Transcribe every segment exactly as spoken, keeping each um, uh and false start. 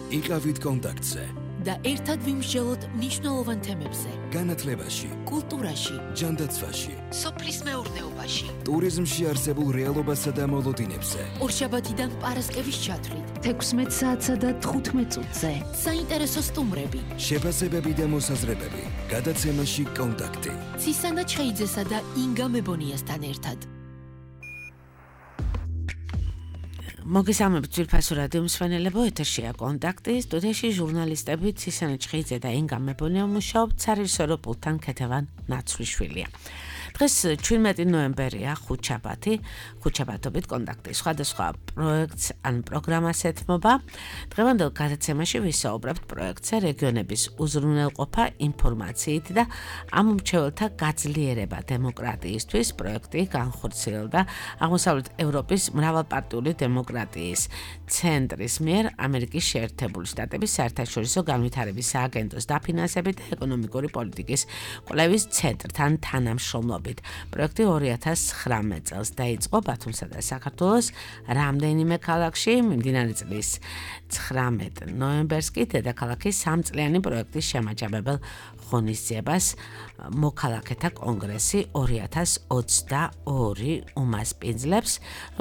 იყავით კონტაქტზე და ერთად ვიმსჯელოთ მნიშვნელოვან თემებზე. განათლებაში, კულტურაში, ჯანდაცვაში, სოფლის მეურნეობაში, ტურიზმში არსებულ რეალობასა და მოლოდინებზე. ორშაბათიდან პარასკევის ჩათვლით, თექვსმეტ საათსა და თხუთმეტ წუთზე. საინტერესო სტუმრები, შეფასებები და მოსაზრებები. გადაცემაში კონტაქტი. ცისანა ჩხეიძესა და ინგა მებონიასთან ერთად. მოგესალმებით ძვირფასო რადიო მსმენელებო, ეთერშია კონტაქტი, სტუდიაში ჟურნალისტები ცისანა ჩხეიძე და ინგა მებონია მუშაობთ, სარეჟისორო პულტთან ქეთევან ნაცვლიშვილია. დღეს ჩვიდმეტი ნოემბერია, ხუთშაბათი, ხუთშაბათობით კონტაქტის სხვადასხვა პროექტს ან პროგრამას ეთმობა. დღევანდელ გადაცემაში ვისაუბრებთ პროექტზე რეგიონების უზრუნველყოფა ინფორმაციით და ამომრჩეველთა გაძლიერება დემოკრატიისთვის. პროექტი განხორციელდა აღმოსავლეთ ევროპის მრავალპარტიული დემოკრატიის ცენტრის მიერ ამერიკის შეერთებული შტატების საერთაშორისო განვითარების სააგენტოს დაფინანსებით და ეკონომიკური პოლიტიკის კვლევის ცენტრთან თანამშრომლობით. პროექტი ორი ათას ცხრამეტ წელს დაიწყო ბათუმსა და საქართველოს რამდენიმე ქალაქში. მიმდინარე წლის ცხრამეტ ნოემბერს კი დედაქალაქის სამწლიანი პროექტის შემაჯამებელ ღონისძიებას მოქალაქეთა კონგრესი ორი ათას ოცდაორი უმასპინძლებს,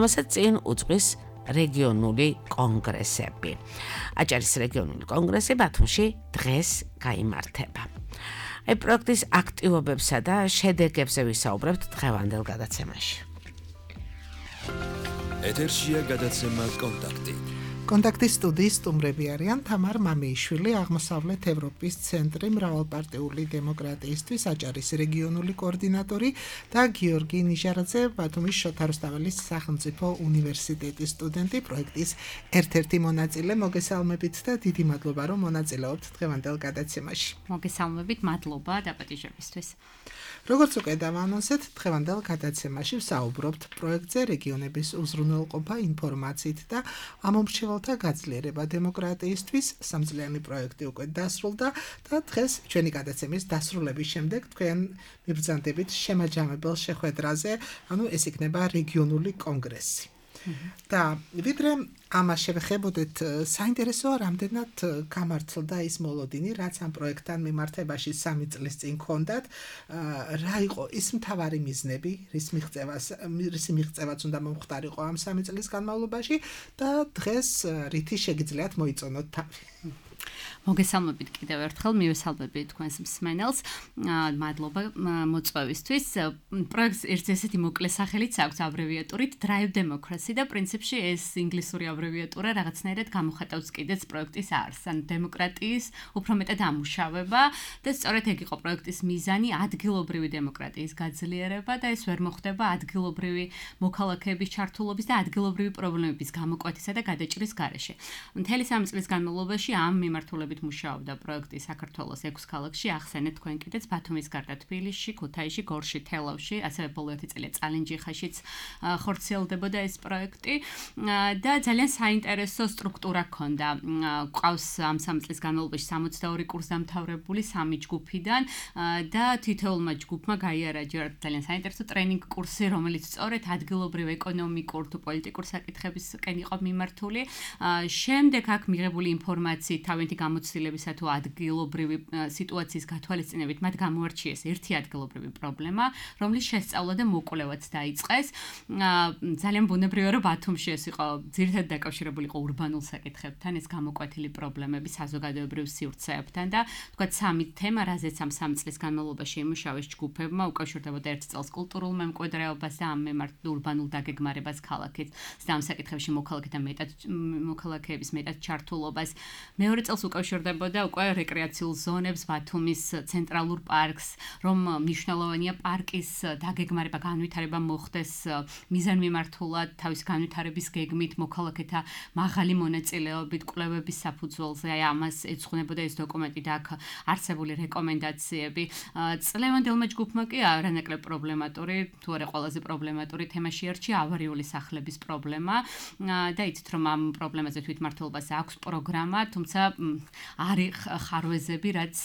რომელსაც წინ უძღვის რეგიონული კონგრესები. აჭარის რეგიონული კონგრესი ბათუმში დღეს გაიმართება. აი პროექტის აქტივობებსა და შედეგებზე ვისაუბრებთ დღევანდელ გადაცემაში. ეთერშია გადაცემა კონტაქტი. კონტაქტის სტუდიის სტუმრები არიან თამარ მამიიშვილი, აღმოსავლეთ ევროპის ცენტრი მრავალპარტიული დემოკრატიისთვის აჭარის რეგიონული კოორდინატორი და გიორგი ნიჟარაძე, ბათუმის შოთა რუსთაველის სახელმწიფო უნივერსიტეტის სტუდენტი, პროექტის ერთ-ერთი მონაწილე. მოგესალმებით და დიდი მადლობა, რომ მონაწილეობთ დღევანდელ გადაცემაში. მოგესალმებით, მადლობა დაპატიჟებისთვის. როგორც უკვე დავანონსეთ, დღევანდელ გადაცემაში ვსაუბრობთ პროექტზე რეგიონების უზრუნველყოფა ინფორმაციით და ამომრჩეველთა გაძლიერება დემოკრატიისთვის. სამწლიანი პროექტი უკვე დასრულდა და დღეს ჩვენი გადაცემის დასრულების შემდეგ თქვენ მიბრძანდებით შემაჯამებელ შეხვედრაზე, ანუ ეს იქნება რეგიონული კონგრესი. და ვიდრე ამას შევეხებოდეთ, საინტერესოა რამდენად გამართლდა ის მოლოდინი, რაც ამ პროექტთან მიმართებაში სამი წლის წინ ჰქონდათ, რა იყო ის მთავარი მიზნები, რის მიღწევას, რის მიღწევაც უნდა მომხდარიყო ამ სამი წლის განმავლობაში და დღეს რითი შეგიძლიათ მოიწონოთ თავი. მოგესალმებით კიდევ ერთხელ, მივესალმები თქვენს მსმენელს. მადლობა მოწვევისთვის. პროექტს ერთ ესეთი მოკლე სახელიც აქვს აბრევიატურით Drive Democracy და პრინციპში ეს ინგლისური აბრევიატურა რაღაცნაირად გამოხატავს კიდეც პროექტის არსს, ან დემოკრატიის უფრო მეტად ამუშავება და სწორედ ეგ იყო პროექტის მიზანი, ადგილობრივი დემოკრატიის გაძლიერება და ეს ვერ მოხდება ადგილობრივი მოქალაქეების ჩართულობის და ადგილობრივი პრობლემების გამოკვეთისა და გადაჭრის გარეშე. მთელი სამი წლის განმავლობაში ამ მიმართულებით მუშაობდა პროექტი საქართველოს ექვს ქალაქში, ახსენეთ თქვენ კიდეც ბათუმის გარდა თბილისში, ქუთაისში, გორში, თელავში, ასევე ბოლო ერთი წელი წალენჯიხაშიც ხორციელდებოდა ეს პროექტი და ძალიან საინტერესო სტრუქტურა ჰქონდა. ყავს ამ სამი წლის განმავლობაში სამოცდაორი კურსდამთავრებული სამი ჯგუფიდან და თითოეულმა ჯგუფმა გაიარაჯა ძალიან საინტერესო ტრენინგ კურსი, რომელიც სწორედ ადგილობრივ ეკონომიკურ თუ პოლიტიკურ საკითხებისკენ იყო მიმართული. შემდეგ აქ მიღებული ინფორმაციით თავენთი გამოცდილებისა თუ ადგილობრივი სიტუაციის გათვალისწინებით მათ გამოარჩიეს ერთი ადგილობრივი პრობლემა, რომლის შესწავლა და მოკვლევაც დაიწყეს. ძალიან ბუნებრივია, რომ ბათუმში ეს იყო ძირითადად დაკავშირებული იყო ურბანულ საკითხებთან, ეს გამოკვეთილი პრობლემები საზოგადოებრივ სივრცეებთან და თქვათ სამი თემა, რაზეც ამ სამი წლის განმავლობაში იმუშავეს ჯგუფებმა, უკავშირდებოდა ერთ წელს კულტურულ მემკვიდრეობას და ამ მიმართ ურბანულ დაგეგმარებას ქალაქით და ამ საკითხებში მოქალაქეთა მეტად მოქალაქეების მეტად ჩართულობას. მეორე წელს უკავშირდებოდა უკვე რეკრეაციულ ზონებს, ბათუმის ცენტრალურ პარკს, რომ მნიშვნელოვანია პარკის დაგეგმარება, განვითარება მოხდეს მიზანმიმართულად, თავის განვითარების გეგმით, მოქალაქეთა მაღალი მონაწილეობით, კვლევების საფუძველზე. აი ამას ეძღვნებოდა ეს დოკუმენტი და აქ არსებული რეკომენდაციები. წლევანდელმა ჯგუფმა კი არანაკლებ პრობლემატური, თუ არა ყველაზე პრობლემატური თემა შეარჩია ავარიული სახლების პრობლემა და იცით რომ ამ პრობლემაზე თვითმმართველობას აქვს პროგრამა, თუმცა არის ხარვეზები, რაც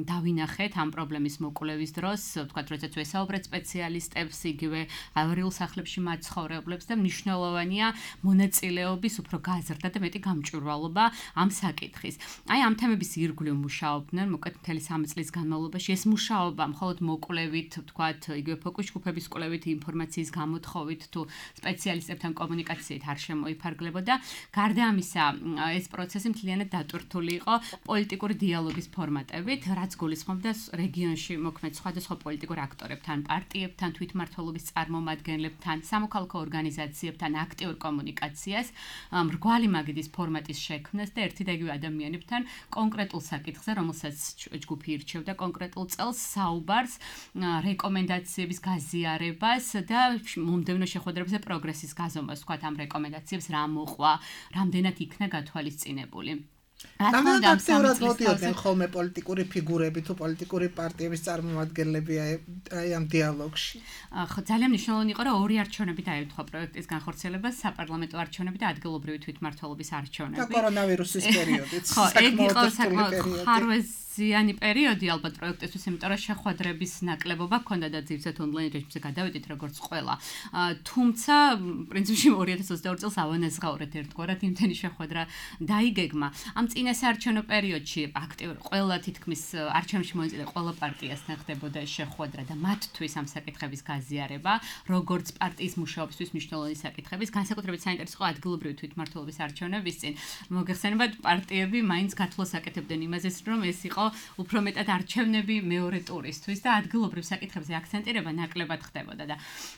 დავინახეთ ამ პრობლემის მოკვლევის დროს, ვთქვათ, როდესაც ვესაუბრეთ სპეციალისტებს, იგივე ავარიულ სახლებში მაცხოვრებლებს და მნიშვნელოვანია მონაწილეობის უფრო გაზრდა და მეტი გამჭვირვალობა ამ საკითხის. აი ამ თემების ირგვლივ მუშაობდნენ, მოკლედ მთელი სამი წლის განმავლობაში ეს მუშაობა მხოლოდ მოკვლევით, ვთქვათ, იგივე ფოკუს ჯგუფების კვლევით, ინფორმაციის გამოთხოვით თუ სპეციალისტებთან კომუნიკაციით არ შემოიფარგლებოდა. გარდა ამისა, ეს პროცესი მთლიანად დატვირთული იყო პოლიტიკური დიალოგის ფორმატებით, რაც გულისხმობდა რეგიონში მოქმედ სხვადასხვა პოლიტიკურ აქტორებთან, პარტიებთან, თვითმმართველობის წარმომადგენლებთან, სამოქალაქო ორგანიზაციებთან აქტიურ კომუნიკაციას, მრგვალი მაგიდის ფორმატის შექმნას და ერთი და იგივე ადამიანებთან კონკრეტულ საკითხზე, რომელსაც ჯგუფი ირჩევდა კონკრეტულ წელს საუბარს, რეკომენდაციების გაზიარებას და მომდევნო შეხვედრებზე პროგრესის გაზომვას, ვთქვათ, ამ რეკომენდაციებს რა მოყვა, რამდენად იქნა გათვალისწინებული. რამდენად აქტიურად მოდიოდნენ ხოლმე პოლიტიკური ფიგურები თუ პოლიტიკური პარტიების წარმომადგენლები აი ამ დიალოგში? ხო, ძალიან მნიშვნელოვანი იყო, რომ ორი არჩევნები დაემთხვა პროექტის განხორციელებას, საპარლამენტო არჩევნები და ადგილობრივი თვითმმართველობის არჩევნები. და კორონავირუსის პერიოდიც. ხო, ეგ იყო საკმაოდ ხარვეზიანი პერიოდი ალბათ პროექტისთვის, იმიტომ რომ შეხვედრების ნაკლებობა ჰქონდა და ძირითადად ონლაინ რეჟიმზე გადავედით როგორც ყველა. თუმცა, პრინციპში ორი ათას ოცდაორი წელს ავანაზღაურეთ ერთგვარად იმდენი შეხვედრა დაიგეგმა. ამ წინასაარჩევნო პერიოდში აქტიურ ყველა თითქმის არჩევნებში მონაწილე ყველა პარტიასთან ხდებოდა შეხვედრა და მათთვის ამ საკითხების გაზიარება, როგორც პარტიის მუშაობისთვის მნიშვნელოვანი საკითხების, განსაკუთრებით საინტერესო ადგილობრივი თვითმმართველობის არჩევნების წინ. მოგეხსენებათ, პარტიები მაინც გათვლას აკეთებდნენ იმაზე, რომ ეს იყო უფრო მეტად არჩევნები მეორე ტურისთვის და ადგილობრივ საკითხებზე აქცენტირება ნაკლებად ხდებოდა და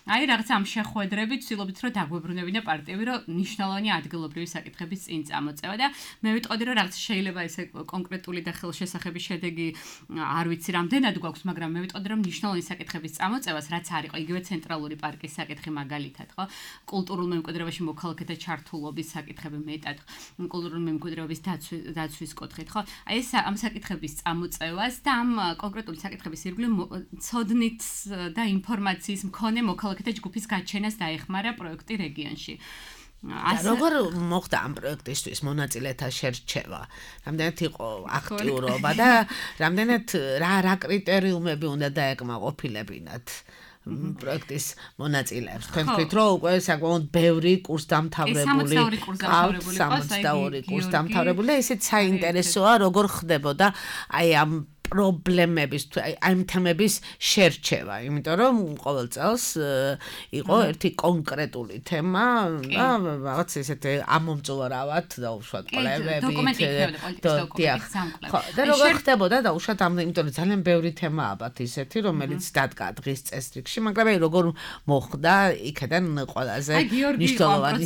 აი რაღაც ამ შეხვედრებით ვცდილობთ, რომ დაგვებრუნებინა პარტიები, რომ მნიშვნელოვანი ადგილობრივი საკითხების წინ წამოწევა და მე ვიტყოდი, რომ რაც შეიძლება ესე კონკრეტული და ხელშესახების შედეგი არ ვიცი რამდენად გვაქვს, მაგრამ მე ვიტყოდი, რომ მნიშვნელოვანი საკითხების წამოწევას, რაც არ იყო იგივე ცენტრალური პარკის საკითხი მაგალითად, ხო? კულტურულ მემკვიდრეობაში მოქალაქეთა ჩართულობის საკითხები მეტად, კულტურული მემკვიდრეობის დაცვის კუთხით, ხო? აი ეს ამ საკითხების წამოწევას და ამ კონკრეტული საკითხების ირგვლივ ცოდნით და ინფორმაციის მქონე მოქალაქეთა ჯგუფის გაჩენას დაეხმარა პროექტი რეგიონში. როგორ მოხდა ამ პროექტისთვის მონაწილეთა შერჩევა? რამდენად იყო აქტიურობა და რამდენად რა რა კრიტერიუმები უნდა დაეკმაყოფილებინათ პროექტის მონაწილეებს? თქვენ თქვით, რომ უკვე საკმაოდ ბევრი კურსდამთავრებული ყავთ, სამოცდაორი კურსდამთავრებული, ესეც საინტერესოა, როგორ ხდებოდა აი ამ პრობლემების აი ამ თემების შერჩევა, იმიტომ რომ ყოველ წელს იყო ერთი კონკრეტული თემა და რაღაც ესეთ ამომწვარავად დაუშვათ კვლევებით და როგორ ხდებოდა დაუშვათ ამ, იმიტომ რომ ძალიან ბევრი თემაა ალბათ ისეთი, რომელიც დადგა დღის წესრიგში, მაგრამ აი როგორ მოხდა იქიდან ყველაზე მნიშვნელოვანი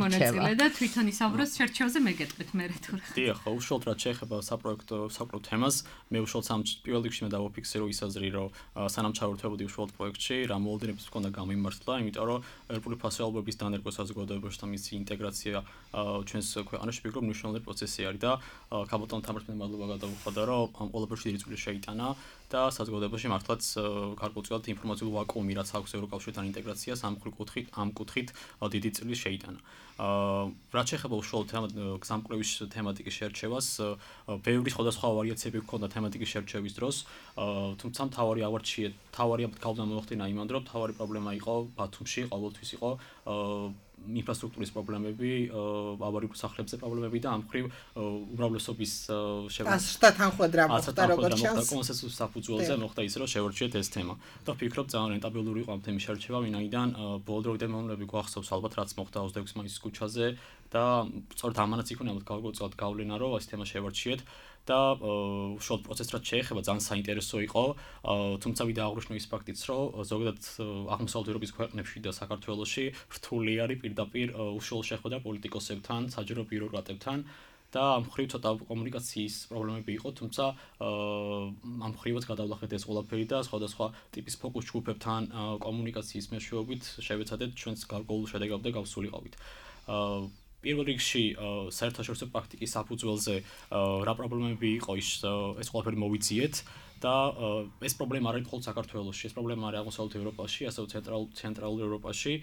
მონაწილე და თვითონ ისაუბროს შერჩევაზე მე გეტყვით მე რა თუ რა. დიახ, უშუალოდ რაც შეეხება საპროექტო საპროექტო თემას, მე უშუალოდ სამ პირველ რიგში მე დავაფიქსირო ის აზრი, რომ სანამ ჩავერთვებოდი უშუალოდ პროექტში, რა მოლოდინებს მქონდა გამიმართლა, იმიტომ რომ ეროვნული ფასეულობების დანერგვა საზოგადოებაში და მისი ინტეგრაცია ჩვენს ქვეყანაში ფიქრობ მნიშვნელოვანი პროცესი არის და ქაბატონ თამართმენ მადლობა გადავუხადა, რომ ამ ყველაფერში დიდი წვლილი შეიტანა და საზოგადოებაში მართლაც გარკვეულწილად ინფორმაციული ვაკუუმი, რაც აქვს ევროკავშირთან ინტეგრაციას, ამ კუთხით ამ კუთხით დიდი წვლილი შეიტანა. რაც შეეხება უშუალოდ გზამკვლევის თემატიკის შერჩევას, ბევრი სხვადასხვა ვარიაციები ჰქონდა თემატიკის შერჩევის დროს, თუმცა მთავარი ავარჩია, მთავარი გავლენა მოახდინა იმან, რომ მთავარი პრობლემა იყო ბათუმში, ყოველთვის იყო ინფრასტრუქტურის პრობლემები, ავარიულ სახლებზე პრობლემები და ამ მხრივ უმრავლესობის შევა თანხმედრა მოხდა როგორც ჩანს კონსენსუსის საფუძველზე მოხდა ის, რომ შევერჩიეთ ეს თემა. და ვფიქრობ, ძალიან რენტაბელური იყო ამ თემის შერჩევა, ვინაიდან ბოლო დროიდან მომლები გვახსოვს ალბათ რაც მოხდა ოცდაექვსი მაისის ქუჩაზე და სწორედ ამანაც იქნება გავგოწოთ გავლენა, რომ ეს თემა შევერჩიეთ. და უშუალოდ პროცესს რაც შეეხება ძალიან საინტერესო იყო, თუმცა ვიდა აღნიშნო ის ფაქტიც, რომ ზოგადად აღმოსავლეთ ევროპის ქვეყნებში და საქართველოში რთული არის პირდაპირ უშუალო შეხვედრა პოლიტიკოსებთან, საჯარო ბიუროკრატებთან და ამ მხრივ ცოტა კომუნიკაციის პრობლემები იყო, თუმცა ამ მხრივაც გადავლახეთ ეს ყველაფერი და სხვადასხვა ტიპის ფოკუს ჯგუფებთან კომუნიკაციის მეშვეობით შევეცადეთ ჩვენს გარკვეულ შედეგამდე გავსულიყავით. პირველ რიგში საერთაშორისო პრაქტიკის საფუძველზე რა პრობლემები იყო ის ეს ყველაფერი მოვიძიეთ და ეს პრობლემა არ არის მხოლოდ საქართველოში, ეს პრობლემა არის აღმოსავლეთ ევროპაში, ასევე ცენტრალურ ცენტრალურ ევროპაში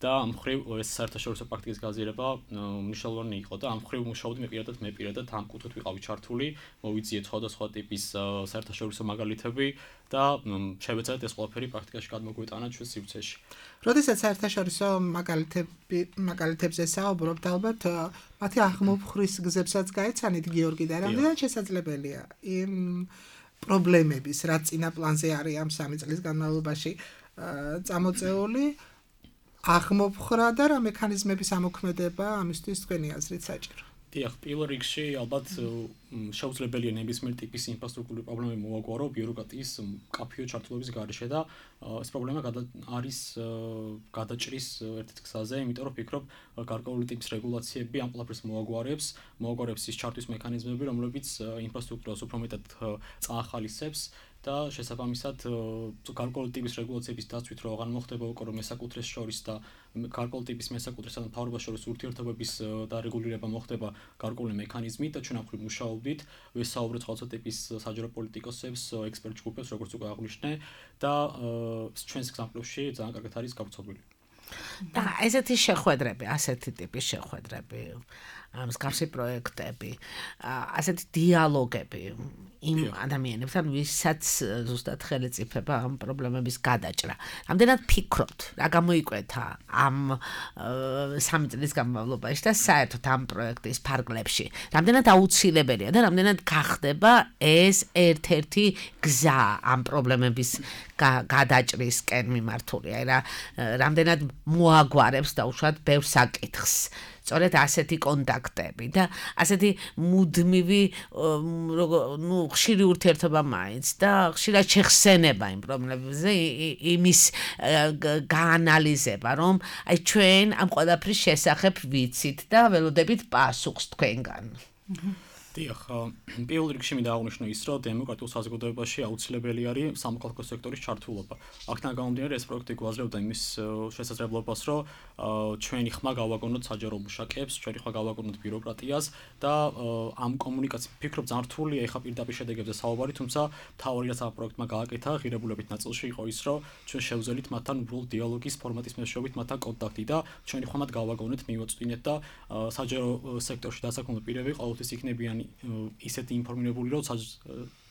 და ამ მხრივ ეს საერთაშორისო პრაქტიკის გაზიარება მნიშვნელოვანი იყო და ამ მხრივ მუშაობდი მე პირადად მე პირადად ამ კუთხით ვიყავი ჩართული, მოვიძიეთ სხვადასხვა ტიპის საერთაშორისო მაგალითები და შევეცადეთ ეს ყველაფერი პრაქტიკაში გადმოგვეტანა ჩვენ სივრცეში. როდესაც საერთაშორისო მაგალითები მაგალითებზე საუბრობთ, ალბათ მათი აღმოფხრის გზებსაც გაეცანით გიორგი და რამდენად შესაძლებელია იმ პრობლემების, რაც წინა პლანზე არის ამ სამი წლის განმავლობაში წამოწეული აღმოფხრა და რა მექანიზმების ამოქმედება ამისთვის თქვენი აზრით საჭირო. დიახ, პირველ რიგში ალბათ შეუძლებელია ნებისმიერ ტიპის ინფრასტრუქტურული პრობლემები მოვაგვარო ბიუროკრატიის მკაფიო ჩართულობის გარეშე და ეს პრობლემა არის გადაჭრის ერთ-ერთ გზაზე, იმიტომ რომ ვფიქრობ, გარკვეული ტიპის რეგულაციები ამ ყველაფერს მოაგვარებს, მოაგვარებს ის ჩართვის მექანიზმები, რომლებიც ინფრასტრუქტურას უფრო მეტად წაახალისებს და შესაბამისად გარკვეული ტიპის რეგულაციების დაცვით რო აღარ მოხდება უკვე რომ მესაკუთრეს შორის და გარკვეული ტიპის მესაკუთრესა და მთავრობას შორის ურთიერთობების და რეგულირება მოხდება გარკვეული მექანიზმით და ჩვენ ახლა მუშაობდით ვესაუბრეთ სხვადასხვა ტიპის საჯარო პოლიტიკოსებს, ექსპერტ ჯგუფებს, როგორც უკვე აღვნიშნე და ჩვენს გზამკვლევში ძალიან კარგად არის გავრცობილი. და ესეთი შეხვედრები, ასეთი ტიპის შეხვედრები, მსგავსი პროექტები, ასეთი დიალოგები იმ ადამიანებთან, ვისაც ზუსტად ხელისუფება ამ პრობლემების გადაჭრა. რამდენად ფიქრობთ, რა გამოიკვეთა ამ სამი წლის განმავლობაში და საერთოდ ამ პროექტის ფარგლებში, რამდენად აუცილებელია და რამდენად გახდება ეს ერთ-ერთი გზა ამ პრობლემების გადაჭრისკენ მიმართული, აი რა რამდენად მოაგვარებს და უშუალოდ ბევრ საკითხს. სწორედ ასეთი კონტაქტები და ასეთი მუდმივი ნუ ხშირი ურთიერთობა მაინც და ხშირად შეხსენება იმ პრობლემებზე იმის გაანალიზება, რომ აი ჩვენ ამ ყველაფრის შესახებ ვიცით და ველოდებით პასუხს თქვენგან. დიახ, პირველ რიგში მინდა აღვნიშნო ის, რომ დემოკრატიულ საზოგადოებაში აუცილებელი არის სამოქალაქო სექტორის ჩართულობა. აქედან გამომდინარე, ეს პროექტი გვაძლევდა იმის შესაძლებლობას, რომ ჩვენი ხმა გავაგონოთ საჯარო მუშაკებს, ჩვენი ხმა გავაგონოთ ბიუროკრატიას და ამ კომუნიკაცია ფიქრობ ძალიან რთულია ეხა პირდაპირ შედეგებზე საუბარი, თუმცა მთავარი რაც ამ პროექტმა გააკეთა, ღირებულებით ნაწილში იყო ის, რომ ჩვენ შევძელით მათთან უბრალოდ დიალოგის ფორმატის მეშვეობით მათთან კონტაქტი და ჩვენი ხმად გავაგონეთ, მივაწვდინეთ და საჯარო სექტორში დასაქმებულ პირები ყოველთვის იქნებიან ისეთი ინფორმირებული, რომ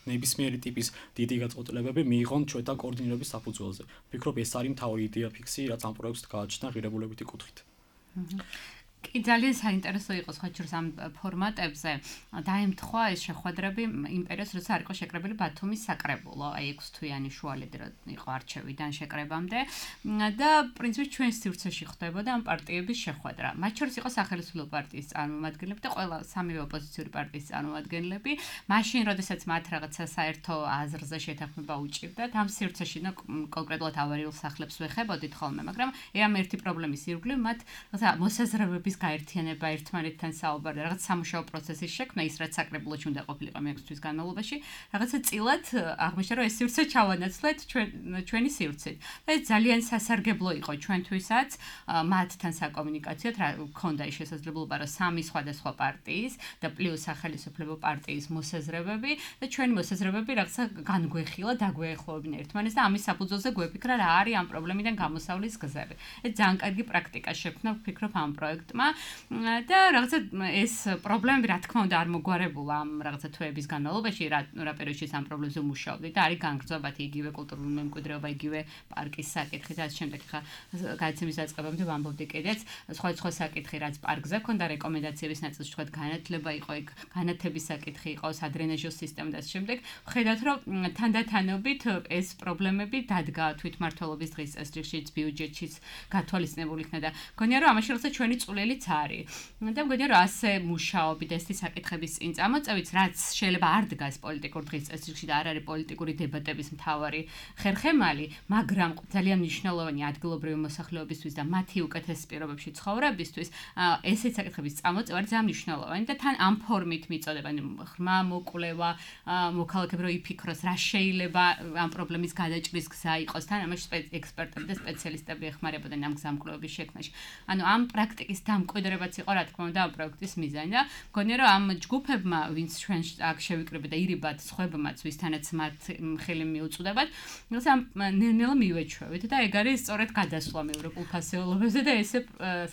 ნებისმიერი ტიპის დიდი გაწყვეტილებები მიიღონ ჩვენთან კოორდინირების საფუძველზე. ვფიქრობ, ეს არის მთავარი იდეა ფიქსი, რაც ამ პროექტს გააჩნდა ღირებულებითი კუთხით. კი ძალიან საინტერესო იყო სხვაჩურს ამ ფორმატებზე. დაემთხვა ეს შეხვედრები იმ პერიოდს, როცა არ იყო შეკრებილი ბათუმის საკრებულო, აი ექვსი თვიანი შუალედი იყო არჩევიდან შეკრებამდე და პრინციპში ჩვენ სივრცეში ხდებოდა ამ პარტიების შეხვედრა. მათ შორის იყო სახელმწიფო პარტიის წარმომადგენლები და ყველა სამივე ოპოზიციური პარტიის წარმომადგენლები. მაშინ, როდესაც მათ რაღაცა საერთო აზრზე შეთანხმება უჭირდათ, ამ სივრცეში კონკრეტულად ავარიულ სახლებს ვეხებოდით ხოლმე, მაგრამ ამ ერთი პრობლემის ირგვლივ მათ რაღაცა მოსაზრებების გაერთიანება ერთმანეთთან საუბარი, რაღაც სამუშაო პროცესის შექმნა, ის რაც საკრებულოში უნდა ყოფილიყო მეექვსი თვის განმავლობაში, რაღაცა წილად აღმოჩნდა, რომ ეს სივრცე ჩავანაცვლეთ ჩვენ ჩვენი სივრცით. და ეს ძალიან სასარგებლო იყო ჩვენთვისაც, მათთან საკომუნიკაციოდ, რა ქონდა ის შესაძლებლობა, რომ სამი სხვადასხვა პარტიის და პლუს სახელმწიფო პარტიის მოსაზრებები და ჩვენი მოსაზრებები რაღაცა განგვეხილა, დაგვეახლოვებინა ერთმანეთს და ამის საფუძველზე გვეფიქრა რა არის ამ პრობლემიდან გამოსავლის გზები. ეს ძალიან კარგი პრაქტიკა შექმნა, ვფიქრობ ამ პროექტმა. და რაღაცა ეს პრობლემები რა თქმა უნდა არ მოგვარებულა ამ რაღაცა თვეების განმავლობაში რა რა პერიოდში ამ პრობლემებზე მუშაობდი და არის განგრძობათი იგივე კულტურული მემკვიდრეობა, იგივე პარკის საკითხი და ამ შემდეგ ხა გადაცემის დაწყებამდე ვამბობდი კიდეც სხვა სხვა საკითხი რაც პარკზე ქონდა რეკომენდაციების ნაწილში თქვა განათლება იყო იქ განათების საკითხი იყო სადრენაჟო სისტემა და ამ შემდეგ ხედავთ რომ თანდათანობით ეს პრობლემები დადგა თვითმმართველობის დღის წესრიგშიც ბიუჯეტშიც გათვალისწინებული იქნა და გონია რომ ამაში რაღაცა ჩვენი წვლილიც არის. და მგონია რომ ასე მუშაობით ეს საკითხების წინ წამოწევით, რაც შეიძლება არ დგას პოლიტიკურ დღის წესრიგში და არ არის პოლიტიკური დებატების მთავარი ხერხემალი, მაგრამ ძალიან მნიშვნელოვანი ადგილობრივი მოსახლეობისთვის და მათი უკეთეს პირობებში ცხოვრებისთვის, ესეთ საკითხების წამოწევა არის ძალიან მნიშვნელოვანი და თან ამ ფორმით მიწოდება, ხმა მოკვლევა, მოქალაქეები რო იფიქროს, რა შეიძლება ამ პრობლემის გადაჭრის გზა იყოს, თან ამაში ექსპერტები და სპეციალისტები ეხმარებოდნენ ამ გზამკვლევების შექმნაში. ანუ ამ პრაქტიკის დამკვიდრებაც იყო რა თქმა უნდა ამ პროექტის მიზანი და მგონია რომ ამ ჯგუფებმა ვინც ჩვენ აქ შევიკრიბეთ და ირიბად სხვებმაც ვისთანაც მათ ხელი მიუწვდებათ ეს ამ ნელ-ნელა მივეჩვევით და ეგ არის სწორედ გადასვლა მეევროპულ ფასეულობებზე და ესე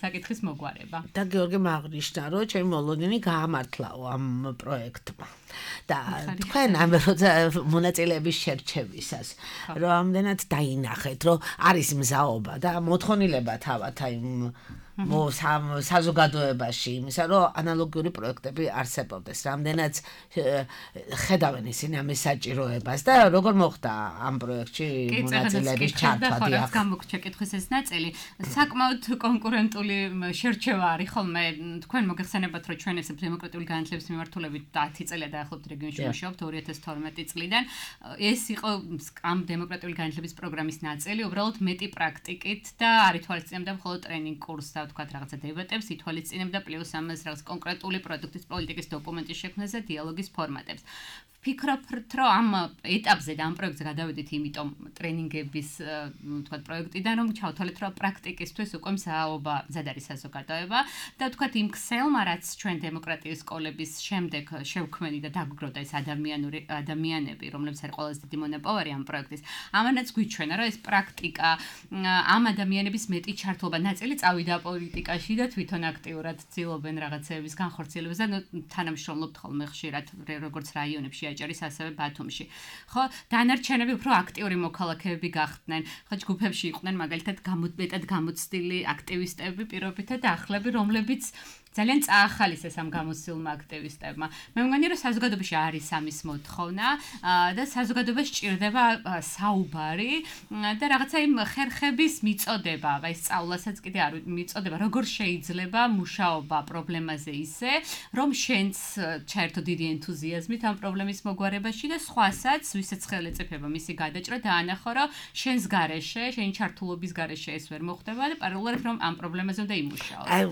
საკითხის მოგვარება და გიორგი აღნიშნა რომ ჩემი მოლოდინი გაამართლაო ამ პროექტმა და თქვენ ამ მონაწილეების შერჩევისას რომ ამდენად დაინახეთ რომ არის მზაობა და მოთხოვნილება თავად აი საზოგადოებაში იმისა რომ ანალოგიური პროექტები არსებობდეს რამდენად ხედავენ ისინი ამის საჭიროებას და როგორ მოხდა ამ პროექტში მონაწილეების ჩართვა დიახ გამოგჩა კითხვის ეს ნაწილი საკმაოდ კონკურენტული შერჩევა არის ხოლმე თქვენ მოგეხსენებათ რომ ჩვენ ესე დემოკრატიული განათლების მიმართულებით დათი წელია დაახლოებით რეგიონში მუშაობთ ორი ათას თორმეტი წლიდან ეს იყო ამ დემოკრატიული განათლების პროგრამის ნაწილი უბრალოდ მეტი პრაქტიკით და არ ითვალისწინებდა მხოლოდ ტრენინგ კურსს და თქვა რაღაცა დებატებს ითვალისწინებდა პლუს ამას რაღაც კონკრეტული პროდუქტის პოლიტიკის დოკუმენტის შექმნას და დიალოგის ფორმატებს ვფიქრობთ რომ ამ ეტაპზე და ამ პროექტზე გადავედით იმიტომ ტრენინგების თქვა პროექტიდან რომ ჩავთვალეთ რომ პრაქტიკისთვის უკვე მსაობა მზად არის საზოგადოება და თქვა იმ ქსელმა რაც ჩვენ დემოკრატიის სკოლების შემდეგ შევქმენი და დაგვგროვდა ეს ადამიანური ადამიანები რომლებიც არის ყველაზე დიდი მონაპოვარი ამ პროექტის ამანაც გვიჩვენა რომ ეს პრაქტიკა ამ ადამიანების მეტი ჩართულობა ნაწილი წავიდა პოლიტიკაში და თვითონ აქტიურად ცდილობენ რაღაცეების განხორციელებას და თანამშრომლობთ ხოლმე ხშირად როგორც რაიონებში აჭარის ასევე ბათუმში. ხო, დანარჩენები უფრო აქტიური მოქალაქეები გახდნენ. ხო, ჯგუფებში იყვნენ მაგალითად გამოდმეტად გამოცდილი აქტივისტები პირობითად ახლები, რომლებიც ძალიან წაახალისეს ამ გამოცდილმა აქტივისტებმა. მე მგონი რომ საზოგადოებაში არის ამის მოთხოვნა და საზოგადოებას სჭირდება საუბარი და რაღაცა იმ ხერხების მიწოდება, აი სწავლასაც კიდე არ მიწოდება, როგორ შეიძლება მუშაობა პრობლემაზე ისე, რომ შენც ჩაერთო დიდი ენთუზიაზმით ამ პრობლემის მოგვარებაში და სხვასაც, ვისაც ხელი ეწეფება მისი გადაჭრა და ანახო, რომ შენს გარეშე, შენი ჩართულობის გარეშე ეს ვერ მოხდება და პარალელურად რომ ამ პრობლემაზე უნდა იმუშაოს. აი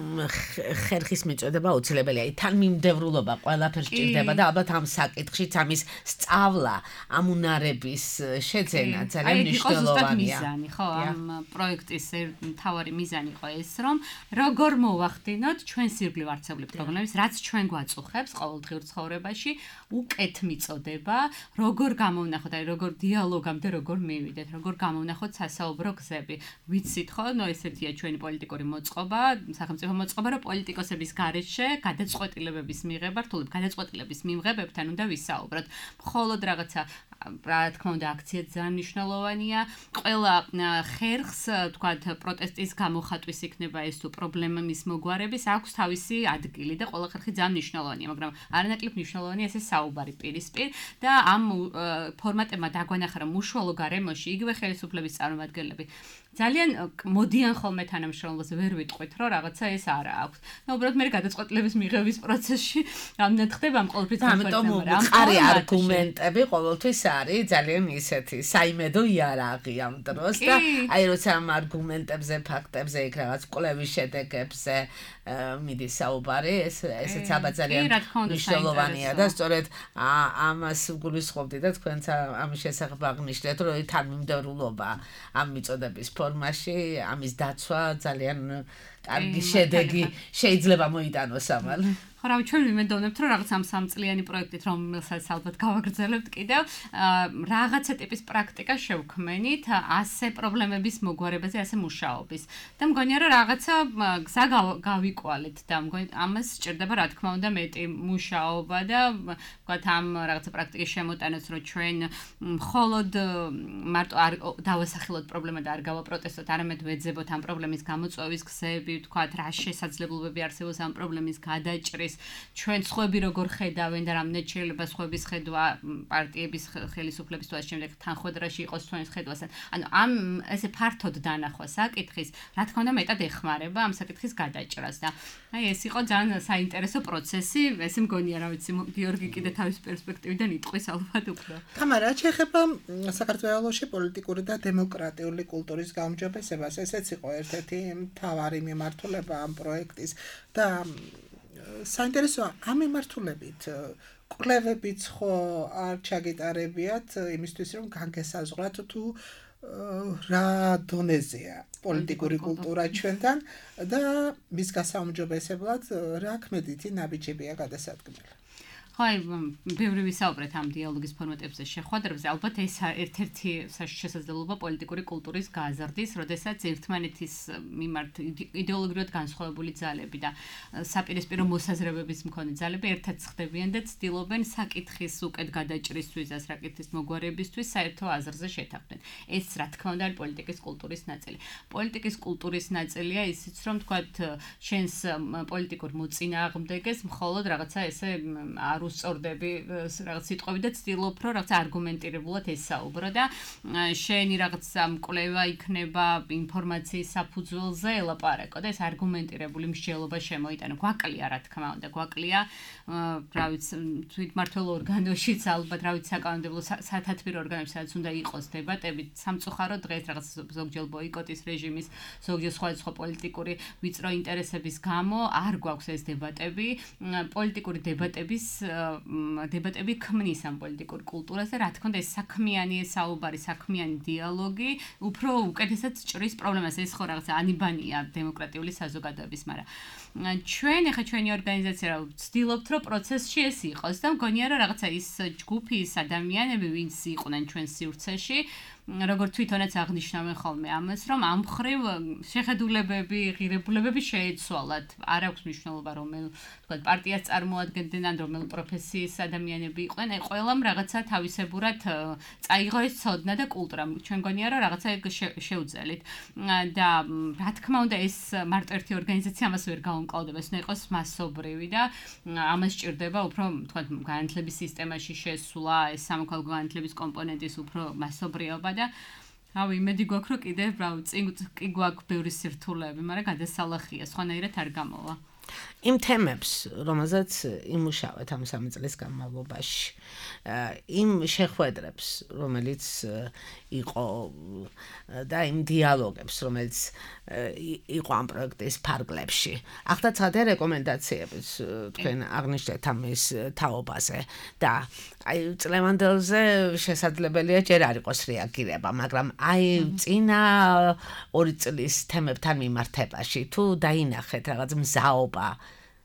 ხერხის მიწოდება აუცილებელია. თან მიმდევრულობა ყველაფერს სჭირდება და ალბათ ამ საკითხშიც ამის სწავლა, ამ უნარების შეძენა ძალიან მნიშვნელოვანია. მიზანი, ხო, ამ პროექტის მთავარი მიზანი იყო ეს, რომ როგორ მოვახდინოთ ჩვენ სირბლივ არსებული პრობლემის, რაც ჩვენ გვაწუხებს ყოველდღიურ ცხოვრებაში, უკეთ მიწოდება, როგორ გამოვნახოთ, აი როგორ დიალოგამდე როგორ მივიდეთ, როგორ გამოვნახოთ სასაუბრო გზები. ვიცით ხო, ნუ ესეთია ჩვენი პოლიტიკური მოწყობა, სახელმწიფო მოწყობა, რომ პოლიტიკოსების გარეშე გადაწყვეტილებების მიღება, რთულობ გადაწყვეტილების მიმღებებთან უნდა ვისაუბროთ. მხოლოდ რაღაცა რა თქმა უნდა აქცია ძალიან მნიშვნელოვანია. ყველა ხერხს, თქვათ, პროტესტის გამოხატვის იქნება ეს თუ პრობლემის მოგვარების აქვს თავისი ადგილი და ყველა ხერხი ძალიან მნიშვნელოვანია, მაგრამ არანაკლებ მნიშვნელოვანია ესე საუბარი პირისპირ და ამ ფორმატებმა დაგვანახა რომ უშუალო გარემოში იგივე ხელისუფლების წარმომადგენლები ძალიან მოდიან ხოლმე თანამშრომლობაზე ვერ ვიტყვით რომ რაღაცა ეს არა აქვს. და უბრალოდ მე გადაწყვეტილების მიღების პროცესში ამდენ ხდება ამ ყოველთვის ამიტომ მყარი არგუმენტები ყოველთვის არის ძალიან ისეთი საიმედო იარაღი ამ დროს და აი როცა ამ არგუმენტებზე, ფაქტებზე იქ რაღაც კვლევის შედეგებზე მიდის საუბარი, ეს ესეც ალბათ ძალიან მნიშვნელოვანია და სწორედ ამას გულისხმობდი და თქვენც ამის შესახებ აღნიშნეთ, რომ თან მიმდევრულობა ამ მიწოდების ფორმაში, ამის დაცვა ძალიან კარგი შედეგი შეიძლება მოიტანოს ამალ. ხო, რავი, ჩვენ ვიმედოვნებთ, რომ რაღაც ამ სამწლიანი პროექტით, რომელსაც ალბათ გავაგრძელებთ კიდევ, რაღაცა ტიპის პრაქტიკა შევქმენით, ასე პრობლემების მოგვარებაზე, ასე მუშაობის. და მგონია, რომ რაღაცა გზა გავიკვალეთ და მგონი ამას სჭირდება, რა თქმა უნდა, მეტი მუშაობა და ვთქვათ, ამ რაღაცა პრაქტიკის შემოტანაც, რომ ჩვენ მხოლოდ მარტო არ დავასახელოთ პრობლემა და არ გავაპროტესტოთ, არამედ ვეძებოთ ამ პრობლემის გამოწვევის გზები, ვთქვათ, რა შესაძლებლობები არსებობს ამ პრობლემის გადაჭრის ჩვენ სხვები როგორ ხედავენ და რამდენად შეიძლება სხვების ხედვა პარტიების ხელისუფლების თუ ამ შემდეგ თანხმედრაში იყოს ჩვენს ხედვასთან. ანუ ამ ესე ფართოდ დანახვა საკითხის, რა თქმა უნდა, მეტად ეხმარება ამ საკითხის გადაჭრას და აი ეს იყო ძალიან საინტერესო პროცესი. ესე მგონია, რა ვიცი, გიორგი კიდე თავის პერსპექტივიდან იტყვის ალბათ უფრო. თამარა, შეეხება საქართველოში პოლიტიკური და დემოკრატიული კულტურის გაუმჯობესებას, ესეც იყო ერთ-ერთი მთავარი მიმართულება ამ პროექტის და საინტერესოა ამ მიმართულებით კვლევებიც ხო არ ჩაგიტარებიათ იმისთვის რომ განგესაზღვრათ თუ რა დონეზეა პოლიტიკური კულტურა ჩვენთან და მის გასაუმჯობესებლად რა ქმედითი ნაბიჯებია გადასადგმელი. ხაი, ბევრი ვისაუბრეთ ამ დიალოგის ფორმატებზე შეხვედრებზე. ალბათ ეს ერთ-ერთი შესაძლებლობა პოლიტიკური კულტურის გაზრდის, როდესაც ერთმანეთის მიმართ იდეოლოგიურად განსხვავებული ძალები და საპირისპირო მოსაზრებების მქონე ძალები ერთად ხდებიან და ცდილობენ საკითხის უკეთ გადაჭრისთვის, საკითხის მოგვარებისთვის საერთო აზრზე შეთანხმდნენ. ეს რა თქმა უნდა არის პოლიტიკის კულტურის ნაწილი. პოლიტიკის კულტურის ნაწილია ისიც, რომ თქვათ, შენს პოლიტიკურ მოწინააღმდეგეს მხოლოდ რაღაცა ესე არ უსწორდები რაღაც სიტყვები და ცდილობ რომ რაღაც არგუმენტირებულად ესაუბრო და შენი რაღაცა მკვლევა იქნება ინფორმაციის საფუძველზე ელაპარაკო და ეს არგუმენტირებული მსჯელობა შემოიტანო. გვაკლია რა თქმა უნდა, გვაკლია რა ვიცი თვითმმართველ ორგანოშიც ალბათ რა ვიცი საკანონმდებლო სათათბირო ორგანოებში სადაც უნდა იყოს დებატები. სამწუხაროდ დღეს რაღაც ზოგჯერ ბოიკოტის რეჟიმის ზოგჯერ სხვადასხვა პოლიტიკური ვიწრო ინტერესების გამო არ გვაქვს ეს დებატები. პოლიტიკური დებატების დებატები ქმნის ამ პოლიტიკურ კულტურას და რა თქმა უნდა ეს საქმიანი საუბარი, საქმიანი დიალოგი უფრო უკეთესად ჭრის პრობლემას. ეს ხო რაღაცა ანიბანია დემოკრატიული საზოგადოების, მაგრამ ჩვენ ახლა ჩვენი ორგანიზაცია რა ვცდილობთ რომ პროცესში ეს იყოს და მგონია რომ რაღაცა ის ჯგუფი, ის ადამიანები, ვინც იყვნენ ჩვენ სივრცეში, როგორც თვითონაც აღნიშნავენ ხოლმე ამას, რომ ამ მხრივ შეხედულებები, ღირებულებები შეეცვალათ. არ აქვს მნიშვნელობა რომელ თქვა პარტიას წარმოადგენდნენ ან რომელ პროფესიის ადამიანები იყვნენ, აი ყველამ რაღაცა თავისებურად წაიღო ეს ცოდნა და კულტურა. ჩვენ გონია რომ რაღაცა შეუძელით. და რა თქმა უნდა ეს მარტო ერთი ორგანიზაცია ამას ვერ გაუმკლავდება, ეს უნდა იყოს მასობრივი და ამას სჭირდება უფრო თქვა განათლების სისტემაში შესვლა, ეს სამოქალაქო განათლების კომპონენტის უფრო მასობრიობა და რავი, იმედი გვაქვს რომ კიდევ რავი, წინ კი გვაქვს ბევრი სირთულეები, მაგრამ გადასალახია, სხვანაირად არ გამოვა. იმ თემებს, რომელზეც იმუშავეთ ამ სამი წლის განმავლობაში, იმ შეხვედრებს, რომელიც იყო და იმ დიალოგებს, რომელიც იყო ამ პროექტის ფარგლებში. ახლა ცხადია რეკომენდაციებიც თქვენ აღნიშნეთ ამის თაობაზე და აი წლევანდელზე შესაძლებელია ჯერ არ იყოს რეაგირება, მაგრამ აი წინა ორი წლის თემებთან მიმართებაში თუ დაინახეთ რაღაც მზაობა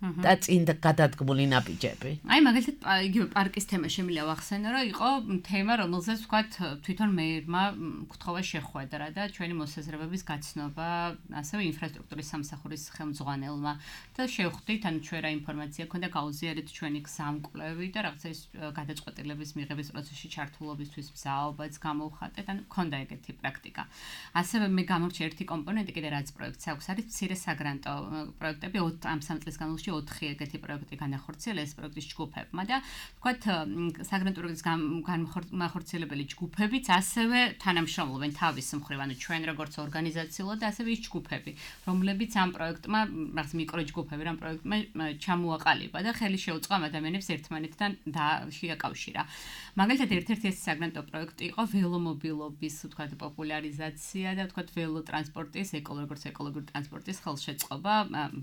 და წინ გადადგმული ნაბიჯები. აი მაგალითად იგივე პარკის თემა შემიძლია ვახსენო, რომ იყო თემა, რომელზეც ვთქვათ თვითონ მეერმა გთხოვა შეხვედრა და ჩვენი მოსაზრებების გაცნობა, ასევე ინფრასტრუქტურის სამსახურის ხელმძღვანელმა და შევხვდით, ანუ ჩვენ რა ინფორმაცია ქონდა, გაუზიარეთ ჩვენი გზამკვლევი და რაღაცა ის გადაწყვეტილების მიღების პროცესში ჩართულობისთვის მზაობაც გამოვხატეთ, ანუ ქონდა ეგეთი პრაქტიკა. ასევე მე გამორჩა ერთი კომპონენტი კიდე რაც პროექტს აქვს, არის მცირე საგრანტო პროექტები ამ სამ წლის განმავლობაში ოთხი ეგეთი პროექტი განახორციელეს პროექტის ჯგუფებმა და თქვათ საგრანტო პროექტის განმახორციელებელი ჯგუფებიც ასევე თანამშრომლობენ თავის მხრივ, ანუ ჩვენ როგორც ორგანიზაციულად და ასევე ის ჯგუფები, რომლებიც ამ პროექტმა, რაღაც მიკროჯგუფები რამ პროექტმა ჩამოაყალიბა და ხელი შეუწყო ამ ადამიანებს ერთმანეთთან შეაკავშირა. მაგალითად ერთ-ერთი ეს საგრანტო პროექტი იყო ველომობილობის, თქვათ პოპულარიზაცია და თქვათ ველოტრანსპორტის, როგორც ეკოლოგიური ტრანსპორტის ხელშეწყობა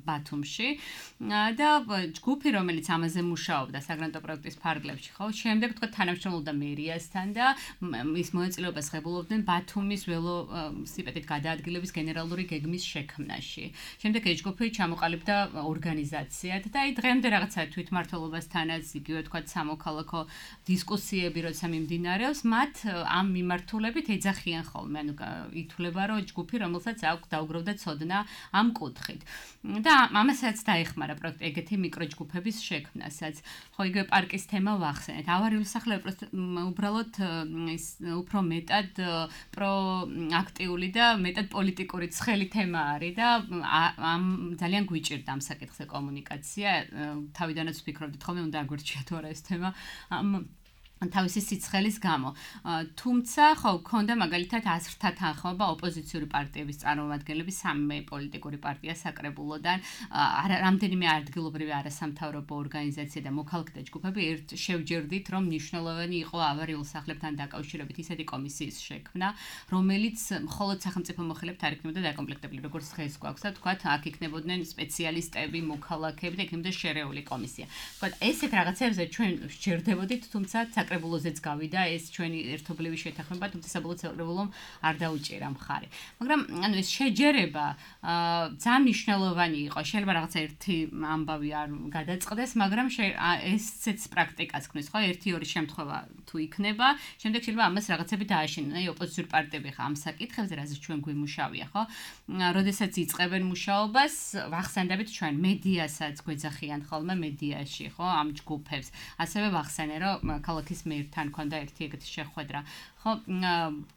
ბათუმში. და ჯგუფი, რომელიც ამაზე მუშაობდა საგრანტო პროექტის ფარგლებში, ხო, შემდეგ თქვა თანამშრომლობდა მერიასთან და ის მონაწილეობას ღებულობდნენ ბათუმის ველოსიპედით გადაადგილების გენერალური გეგმის შექმნაში. შემდეგ ეს ჯგუფი ჩამოყალიბდა ორგანიზაციად და აი დღემდე რაღაცა თვითმმართველობასთანაც იგივე თქვა სამოქალაქო დისკუსიები როცა მიმდინარეობს, მათ ამ მიმართულებით ეძახიან ხოლმე, ანუ ითვლება რომ ჯგუფი, რომელსაც აქვს დაუგროვდა ცოდნა ამ კუთხით. და ამასაც დაეხმარა პროექტი ეგეთი მიკროჯგუფების შექმნასაც. ხო, იგივე პარკის თემა ვახსენეთ. ავარიული სახლები უბრალოდ ის უფრო მეტად პროაქტიული და მეტად პოლიტიკური ცხელი თემა არის და ამ ძალიან გვიჭირდა ამ საკითხზე კომუნიკაცია. თავიდანაც ვფიქრობდით ხოლმე უნდა აგვერჩია თუ არა ეს თემა ამ თავისი სიცხელის გამო. თუმცა, ხო, ქონდა მაგალითად აზრთა თანხმობა ოპოზიციური პარტიების წარმომადგენლების სამი პოლიტიკური პარტია საკრებულოდან, რამდენიმე ადგილობრივი არასამთავრობო ორგანიზაცია და მოქალაქეთა ჯგუფები ერთ შევჯერდით, რომ მნიშვნელოვანი იყო ავარიულ სახლებთან დაკავშირებით ისეთი კომისიის შექმნა, რომელიც მხოლოდ სახელმწიფო მოხელეებთ არ იქნებოდა დაკომპლექტებული, როგორც დღეს გვაქვს და თქვათ, აქ იქნებოდნენ სპეციალისტები, მოქალაქეები და იქნებოდა შერეული კომისია. თქვათ, ესეთ რაღაცებზე ჩვენ შეერდებოდით, თუმცა საკრებულოზეც გავიდა ეს ჩვენი ერთობლივი შეთანხმება, თუმცა საბოლოო საკრებულომ არ დაუჭირა მხარი. მაგრამ ანუ ეს შეჯერება ძალიან მნიშვნელოვანი იყო. შეიძლება რაღაცა ერთი ამბავი არ გადაწყდეს, მაგრამ ესეც პრაქტიკას ქმნის, ხო? ერთი ორი შემთხვევა თუ იქნება, შემდეგ შეიძლება ამას რაღაცები დააშენონ. აი ოპოზიციური პარტიები ხა ამ საკითხებზე, რაზეც ჩვენ გვიმუშავია, ხო? როდესაც იწყებენ მუშაობას, ვახსენდებით ჩვენ მედიასაც გვეძახიან ხოლმე მედიაში, ხო? ამ ჯგუფებს. ასევე ვახსენე, რომ ქალაქის მერთან ქონდა ერთი ეგეთი შეხვედრა. ხო,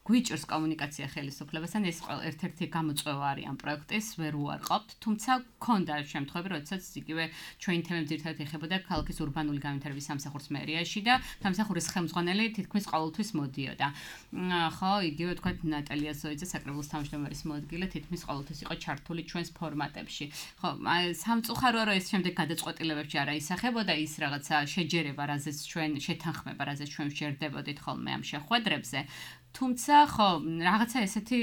გვიჭირს კომუნიკაცია ხელისუფლებასთან, ეს ერთ-ერთი გამოწვევა არის ამ პროექტის, ვერ უარყოფთ, თუმცა ქონდა შემთხვევები, როდესაც იგივე ჩვენი თემები ძირითადად ეხებოდა ქალაქის ურბანული განვითარების სამსახურს მერიაში და სამსახურის ხელმძღვანელი თითქმის ყოველთვის მოდიოდა. ხო, იგივე თქვა ნატალია ზოიძე, საკრებულოს თავმჯდომარის მოადგილე, თითქმის ყოველთვის იყო ჩართული ჩვენს ფორმატებში. ხო, სამწუხაროა, რომ ეს შემდეგ გადაწყვეტილებებში არ აისახებოდა ის რაღაცა შეჯერება, რაზეც ჩვენ შეთანხმება, რაზეც ჩვენ ვჯერდებოდით ხოლმე ამ შეხვედრებზე. თუმცა ხო რაღაცა ესეთი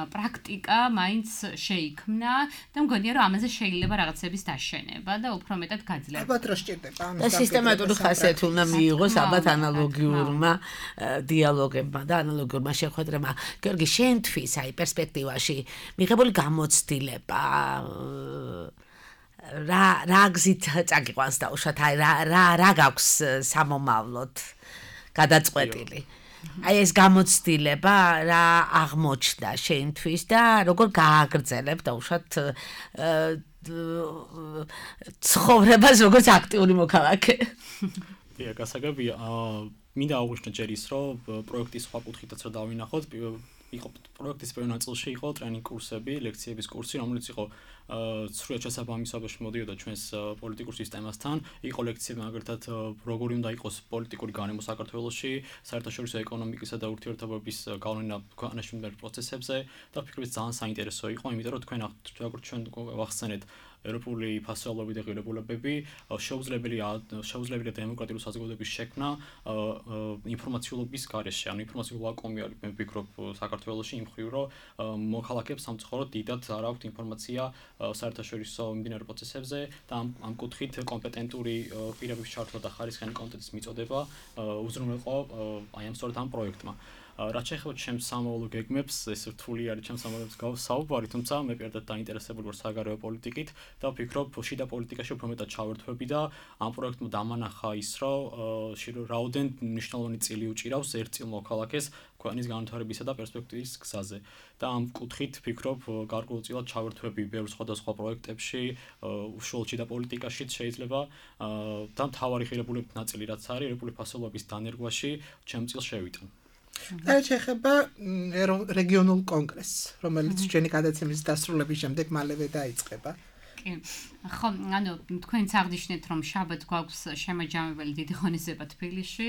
პრაქტიკა მაინც შეიქმნა და მგონია რომ ამაზე შეიძლება რაღაცების დაშენება და უფრო მეტად გაძლიერება. ალბათ რო სჭირდება ამის და სისტემატური ხასიათი უნდა მიიღოს ალბათ ანალოგიურმა დიალოგებმა და ანალოგიურმა შეხვედრებმა. გიორგი, შენთვის აი პერსპექტივაში მიღებული გამოცდილება რა რა გზით წაგიყვანს დაუშვათ აი რა რა რა გაქვს სამომავლოდ გადაწყვეტილი. აი ეს გამოცდილება რა აღმოჩნდა შენთვის და როგორ გააგრძელებ დაუშვათ ცხოვრებას როგორც აქტიური მოქალაქე. დიახ, გასაგებია. მინდა აღვნიშნო ჯერ ის, რომ პროექტის სხვა კუთხითაც რა დავინახოთ, იყო პროექტის პირველ ნაწილში იყო ტრენინგ კურსები, ლექციების კურსი, რომელიც იყო სრულად შესაბამისობაში მოდიოდა ჩვენს პოლიტიკურ სისტემასთან. იყო ლექციები მაგალითად როგორი უნდა იყოს პოლიტიკური განემო საქართველოში, საერთაშორისო ეკონომიკისა და ურთიერთობების გავლენა ქვეყანაში მიმდინარე პროცესებზე და ვფიქრობ, ძალიან საინტერესო იყო, იმიტომ რომ თქვენ როგორც ჩვენ ვახსენეთ ევროპული ფასეულობები და ღირებულებები, შეუძლებელია შეუძლებელია დემოკრატიული საზოგადოების შექმნა ინფორმაციულობის გარეშე, ანუ ინფორმაციული ვაკუუმი არის, მე ვფიქრობ, საქართველოში იმ მხრივ, რომ მოქალაქეებს სამწუხაროდ დიდად არ აქვთ ინფორმაცია საერთაშორისო მიმდინარე პროცესებზე და ამ ამ კუთხით კომპეტენტური პირების ჩართვა და ხარისხიანი კონტენტის მიწოდება უზრუნველყო აი ამ სწორედ ამ პროექტმა. რაც შეეხება ჩემს სამოვალო გეგმებს, ეს რთული არის ჩემს სამოვალოებს გავსაუბარი, თუმცა მე პირადად დაინტერესებული ვარ საგარეო პოლიტიკით და ვფიქრობ, შიდა პოლიტიკაში უფრო მეტად ჩავერთვები და ამ პროექტმა დამანახა ის, რომ რაოდენ მნიშვნელოვანი წილი უჭირავს ერთ წილ მოქალაქეს ქვეყნის განვითარებისა და პერსპექტივის გზაზე. და ამ კუთხით ვფიქრობ, გარკვეულწილად ჩავერთვები ბევრ სხვადასხვა პროექტებში, უშუალოდ შიდა პოლიტიკაშიც შეიძლება და მთავარი ღირებულების ნაწილი რაც არის, ეროვნული ფასეულობის დანერგვაში ჩემ წილს შევიტან. და შეეხება რეგიონულ კონგრესს, რომელიც ჩვენი გადაცემის დასრულების შემდეგ მალევე დაიწყება. ხო, ანუ თქვენც აღნიშნეთ, რომ შაბათ გვაქვს შემაჯამებელი დიდი ღონისძიება თბილისში,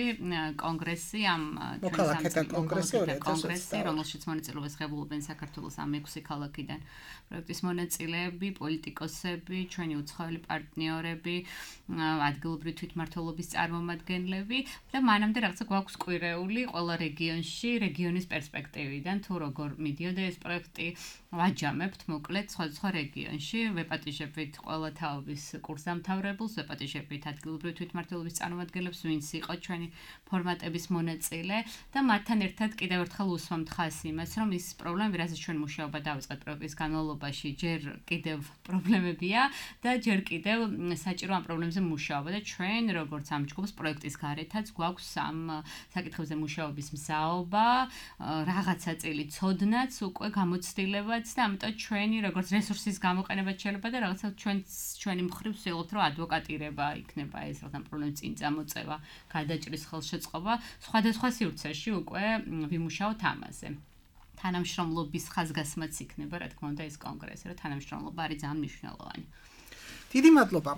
კონგრესი ამ მოქალაქეთა კონგრესი, კონგრესი, რომელშიც მონაწილეობას ღებულობენ საქართველოს ამ ექვსი ქალაქიდან პროექტის მონაწილეები, პოლიტიკოსები, ჩვენი უცხოელი პარტნიორები, ადგილობრივი თვითმმართველობის წარმომადგენლები და მანამდე რაღაცა გვაქვს კვირეული ყველა რეგიონში, რეგიონის პერსპექტივიდან, თუ როგორ მიდიოდა ეს პროექტი, ვაჯამებთ მოკლედ სხვადასხვა რეგიონში, ვეპატიჟებთ ყველა თაობის კურსდამთავრებულს, ვეპატიჟებთ ადგილობრივი თვითმმართველობის წარმომადგენლებს, ვინც იყო ჩვენი ფორმატების მონაწილე და მათთან ერთად კიდევ ერთხელ უსვამთ ხაზს იმას, რომ ის პრობლემები, რაზეც ჩვენ მუშაობა დავიწყეთ პროექტის განმავლობაში, ჯერ კიდევ პრობლემებია და ჯერ კიდევ საჭირო ამ პრობლემებზე მუშაობა და ჩვენ როგორც ამ ჯგუფს პროექტის გარეთაც გვაქვს ამ საკითხებზე მუშაობის მზაობა, რაღაცა წილი ცოდნაც, უკვე გამოცდილებაც და ამიტომ ჩვენი როგორც რესურსის გამოყენებაც შეიძლება და რაღაცა ჩვენ ჩვენი მხრივ ვცდილობთ, რომ ადვოკატირება იქნება ეს რაღაცა პრობლემის წინ წამოწევა, გადაჭრის ხელშეწყობა, სხვადასხვა სივრცეში უკვე ვიმუშაოთ ამაზე. თანამშრომლობის ხაზგასმაც იქნება, რა თქმა უნდა, ეს კონგრესი, რომ თანამშრომლობა არის ძალიან მნიშვნელოვანი. დიდი მადლობა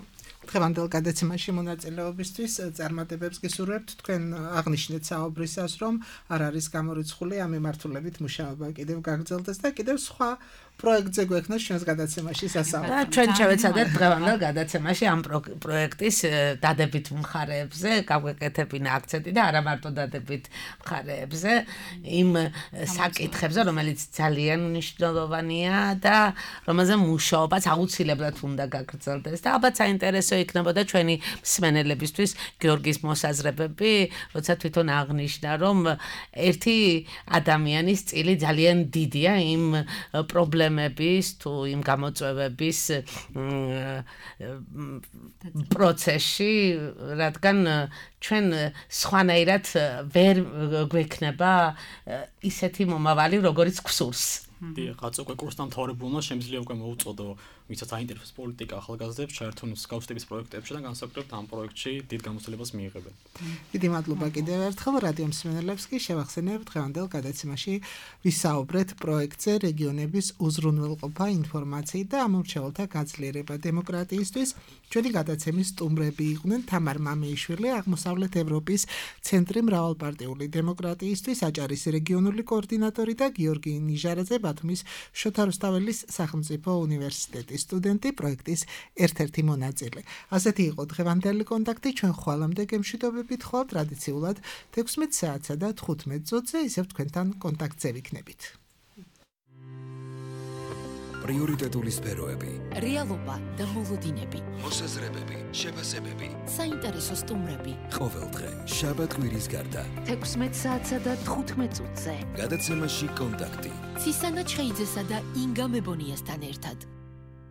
დღევანდელ გადაცემაში მონაწილეობისთვის, წარმატებებს გისურვებთ. თქვენ აღნიშნეთ საუბრისას, რომ არ არის გამორიცხული ამ მიმართულებით მუშაობა კიდევ გაგრძელდეს და კიდევ სხვა პროექტზე გვექნას ჩვენს გადაცემაში სასაუბრო. და ჩვენ შევეცადეთ დღევანდელ გადაცემაში ამ პროექტის დადებით მხარეებზე გავეკეთებინა აქცენტი და არა მარტო დადებით მხარეებზე, იმ საკითხებზე, რომელიც ძალიან მნიშვნელოვანია და რომელზე მუშაობაც აუცილებლად უნდა გაგრძელდეს და ალბათ საინტერესო იქნებოდა ჩვენი მსმენელებისთვის გიორგის მოსაზრებები, როცა თვითონ აღნიშნა, რომ ერთი ადამიანის წილი ძალიან დიდია იმ პრობლემების თუ იმ გამოწვევების პროცესში, რადგან ჩვენ სხვანაირად ვერ გვექნება ისეთი მომავალი, როგორც გვსურს. დიახ, რაც უკვე კურსდამთავრებულმა შემიძლია უკვე მოუწოდო, ვისაც აინტერესებს პოლიტიკა ახალგაზრდებს, ჩაერთონ მსგავსების პროექტებში და განსაკუთრებით ამ პროექტში დიდ გამოცდილებას მიიღებენ. დიდი მადლობა კიდევ ერთხელ რადიო მსმენელებს კი შევახსენებთ დღევანდელ გადაცემაში ვისაუბრეთ პროექტზე რეგიონების უზრუნველყოფა, ინფორმაციით და ამომრჩეველთა გაძლიერება დემოკრატიისთვის. ჩვენი გადაცემის სტუმრები იყვნენ თამარ მამეიშვილი, აღმოსავლეთ ევროპის ცენტრი მრავალპარტიული დემოკრატიისთვის აჭარის რეგიონული კოორდინატორი და გიორგი ნიჟარაძე ბათუმის შოთა რუსთაველის სახელმწიფო უნივერსიტეტის სტუდენტი, პროექტის ერთ-ერთი მონაწილე. ასეთი იყო დღევანდელი კონტაქტი, ჩვენ ხვალამდე გემშვიდობებით ხვალ ტრადიციულად თექვსმეტ საათსა და თხუთმეტ წუთზე, ისევ თქვენთან კონტაქტზე ვიქნებით. პრიორიტეტული სფეროები, რეალობა და მოლოდინები, მოსაზრებები, შეფასებები, საინტერესო სტუმრები. ყოველდღე, შაბათ-კვირის გარდა. თექვსმეტ საათსა და თხუთმეტ წუთზე. გადაცემაში კონტაქტი. ცისანა ჩხეიძესა და ინგა მებონიასთან ერთად.